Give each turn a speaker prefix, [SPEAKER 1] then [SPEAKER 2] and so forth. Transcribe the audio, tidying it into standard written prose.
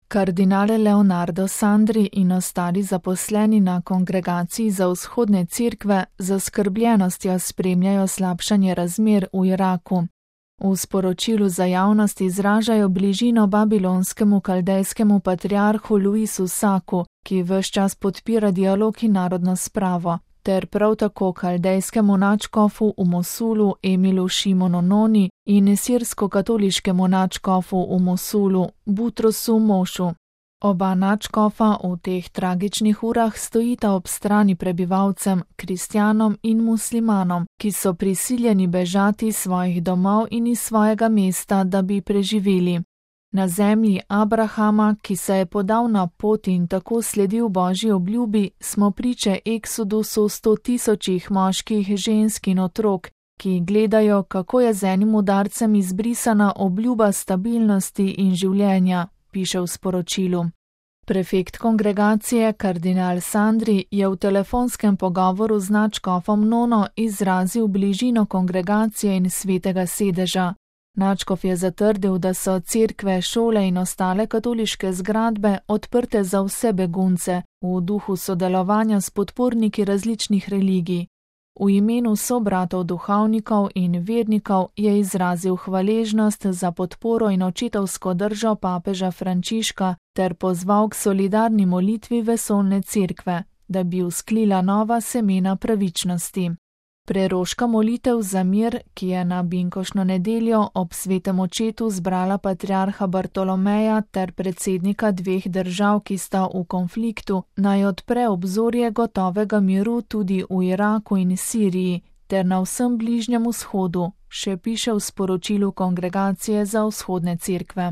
[SPEAKER 1] Kardinal Leonardo Sandri in ostali zaposleni na Kongregaciji za vzhodne cerkve z zaskrbljenostjo spremljajo slabšanje razmer v Iraku. V sporočilu za javnost izražajo bližino babilonskemu kaldejskemu patriarhu Luisu Saku, ki ves čas podpira dialog in narodno spravo, ter prav tako kaldejskemu nadškofu v Mosulu Emilu Šimonu Noni in sirsko-katoliškemu nadškofu v Mosulu Butrosu Mošu. Oba nadškofa v teh tragičnih urah stojita ob strani prebivalcem, kristjanom in muslimanom, ki so prisiljeni bežati iz svojih domov in iz svojega mesta, da bi preživeli. Na zemlji Abrahama, ki se je podal na pot in tako sledil Božji obljubi, smo priče eksodusu 100 000 moških, žensk in otrok, ki gledajo, kako je z enim udarcem izbrisana obljuba stabilnosti in življenja, piše v sporočilu. Prefekt kongregacije kardinal Sandri je v telefonskem pogovoru z nadškofom Nono izrazil bližino kongregacije in svetega sedeža. Nadškof je zatrdil, da so cerkve, šole in ostale katoliške zgradbe odprte za vse begunce, v duhu sodelovanja s podporniki različnih religij. V imenu sobratov duhovnikov in vernikov je izrazil hvaležnost za podporo in očetovsko držo papeža Frančiška ter pozval k solidarni molitvi vesoljne cerkve, da bi vzklila nova semena pravičnosti. Preroška molitev za mir, ki je na binkošno nedeljo ob svetem očetu zbrala patriarha Bartolomeja ter predsednika dveh držav, ki sta v konfliktu, naj odpre obzorje gotovega miru tudi v Iraku in Siriji ter na vsem Bližnjem vzhodu, še piše v sporočilu Kongregacije za vzhodne cerkve.